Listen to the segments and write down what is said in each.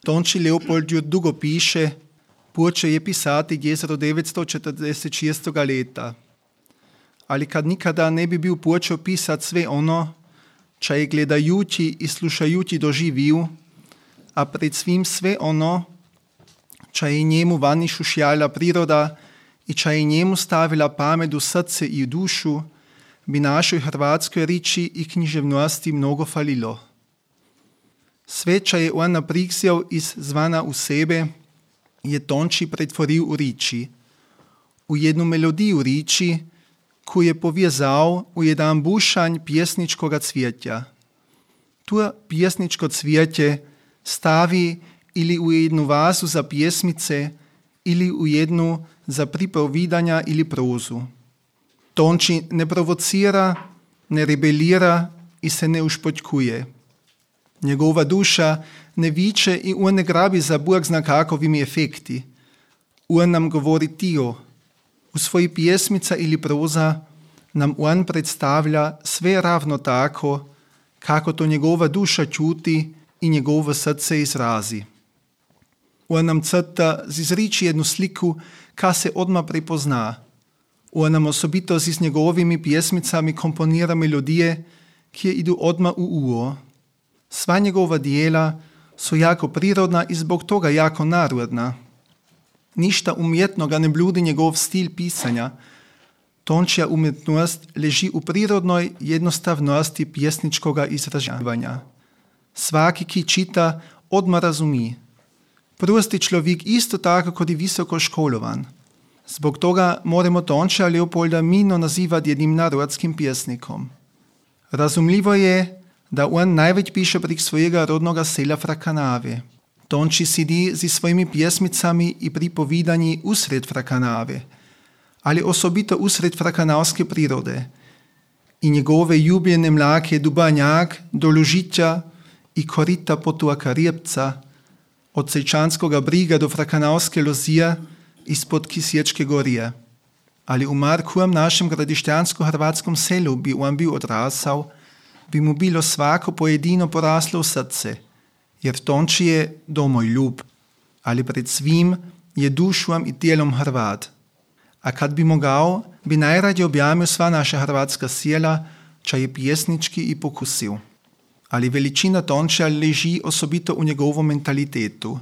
Tonči Leopold ju dugo piše, počeo je pisati 1946. leta. Ali kad nikada ne bi bil počeo pisati sve ono, čo je gledajući i slušajući doživio, a pred svim sve ono, čo je njemu vani šušjala priroda i čo je njemu stavila pamet u srce i u dušu, bi našoj hrvatskoj riči i književnosti mnogo falilo. Sve, čo je on napriksjel iz zvana u sebe, je Tonči pretvoril u riči. U jednu melodiju riči, koju je povjezal u jedan bušanj pjesničkoga cvijetja. Tu pjesničko cvijetje stavi ili u jednu vazu za pjesmice, ili u jednu za pripovidanja ili prozu. Tonči ne provocira, ne rebelira i se ne ušpotkuje. Njegova duša ne viče i on ne grabi za Bog zna kakovimi efekti. On nam govori tio. U svoji pjesmica ili proza nam on predstavlja sve ravno tako, kako to njegova duša čuti i njegovo srce izrazi. On nam crta zizriči jednu sliku, ka se odmah prepozna. On nam osobito z njegovimi pjesmicami komponira melodije, ki idu odmah u uho. Sva njegova dijela su jako prirodna i zbog toga jako narodna. Ništa umjetnoga ne bludi njegov stil pisanja. Tončija umjetnost leži u prirodnoj jednostavnosti pjesničkoga izražavanja. Svaki, ki čita, odmah razumi. Prosti človek isto tako kot i visoko školovan. Zbog toga moramo Tončija Leopolda mirno nazivati jednim narodskim pjesnikom. Razumljivo je, da on največ piše prek svojega rodnoga sela Frakanave. Tonči sedi z svojimi pjesmicami i pripovidanji usred Frakanave, ali osobito usred frakanavske prirode. I njegove ljubljene mlake Dubanjak do Lužitja i korita potoka Rjepca, od Sečanskoga briga do Frakanavske lozije ispod Kisječke gorije. Ali u markujem našem gradišćansko-hrvatskom selu bi on bil odrasal, bi mu bilo svako pojedino poraslo v srce, jer Tonči je domoljub, ali pred svim je dušom i tijelom Hrvat. A kad bi mogao, bi najradije objamil sva naša hrvatska sjela, čo je pjesnički i pokusil. Ali veličina Tončija leži osobito u njegovom mentalitetu,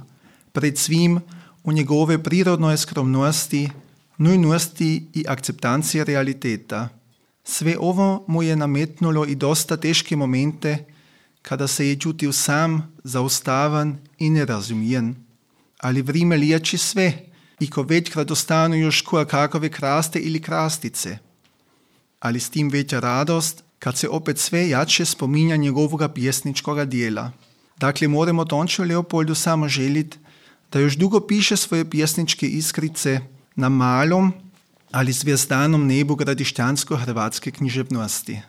pred svim u njegove prirodnoj skromnosti, nujnosti i akceptancije realiteta. Sve ovo mu je nametnulo i dosta teške momente, kada se je čutil sam, zaustavan i nerazumijen. Ali vrime liječi sve, i ko večkrat ostanu još kakove kraste ili krastice. Ali s tim veća radost, kad se opet sve jače spominja njegovoga pjesničkoga dijela. Dakle, moramo Tončiju Leopoldu samo želit, da još dugo piše svoje pjesničke iskrice na malom, ali zvjezdanom nebu gradišćansko-hrvatske književnosti.